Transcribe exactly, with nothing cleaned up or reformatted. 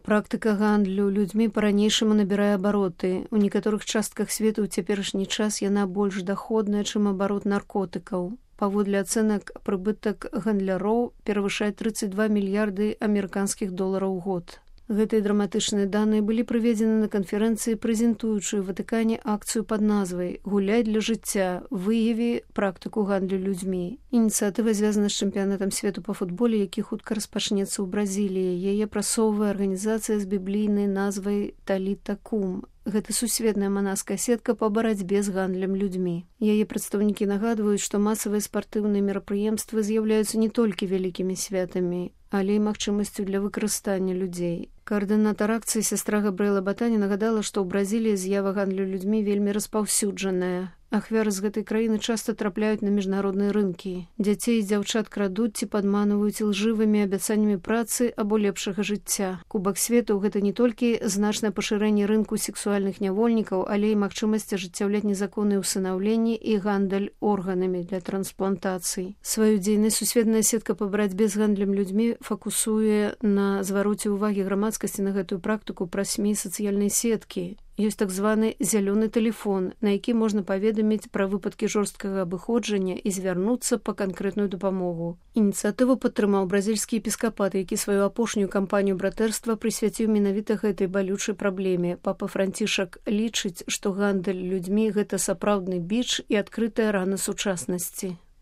Практыка гандлю людзьмі па-ранейшаму набірае абароты. У некаторых частках свету ў цяперашні час яна больш даходная, чым абарот наркотыкаў. Паводле ацэнак, прыбытак гандляроў перавышае тридцать два мільярды амерыканскіх долараў у год. Гэтыя драматычныя даныя былі прыведзены на канферэнцыі, прэзентуючай у Ватыкане акцыю пад назвай «Гуляй для жыцця. Выяві практыку гандлю людзьмі». Ініцыятыва звязана з чэмпіянатам свету па футболе, які хутка распачнецца ў Бразіліі. Яе прасоўвае арганізацыя з біблійнай назвай «Таліта Кум». Гэта сусветная манаская сетка па барацьбе з гандлем людзьмі. Яе прадстаўнікі нагадваюць, што масавыя спартыўныя мерапрыемствы з'яўляюцца не толькі вялікімі святамі, але і магчымасцю для выкарыстання людзей. Каардынатар акцыі сястра Габрыэла Батані нагадала, што ў Бразіліі з'ява гандлю людзьмі вельмі распаўсюджаная. Ахвяры з гэтай краіны часта трапляюць на міжнародныя рынкі. Дзяцей і дзяўчат крадуць ці падманваюць ілжывымі абяцаннямі працы або лепшага жыцця. Кубак свету — гэта не толькі значнае пашырэнне рынку сексуальных нявольнікаў, але і магчымасць ажыццяўляць незаконныя ўсынаўленні і гандаль органамі для трансплантацый. Сваю дзейнасць сусветная сетка па барацьбе з гандлем людзьмі фокусуе на звароце ўвагі грамадскасці на гэтую практыку праз эс эм і сацыяльнай сеткі. Ёсць так званы зялёны тэлефон, на які можна паведаміць пра выпадкі жорсткага абыходжання і звярнуцца па канкрэтную дапамогу. Ініцыятыву падтрымаў бразільскі епіскапат, які сваю апошнюю кампанію братэрства прысвяціў менавіта гэтай балючай праблеме. Папа Францішак лічыць, што гандаль людзьмі — гэта сапраўдны біч і адкрытая рана сучаснасці.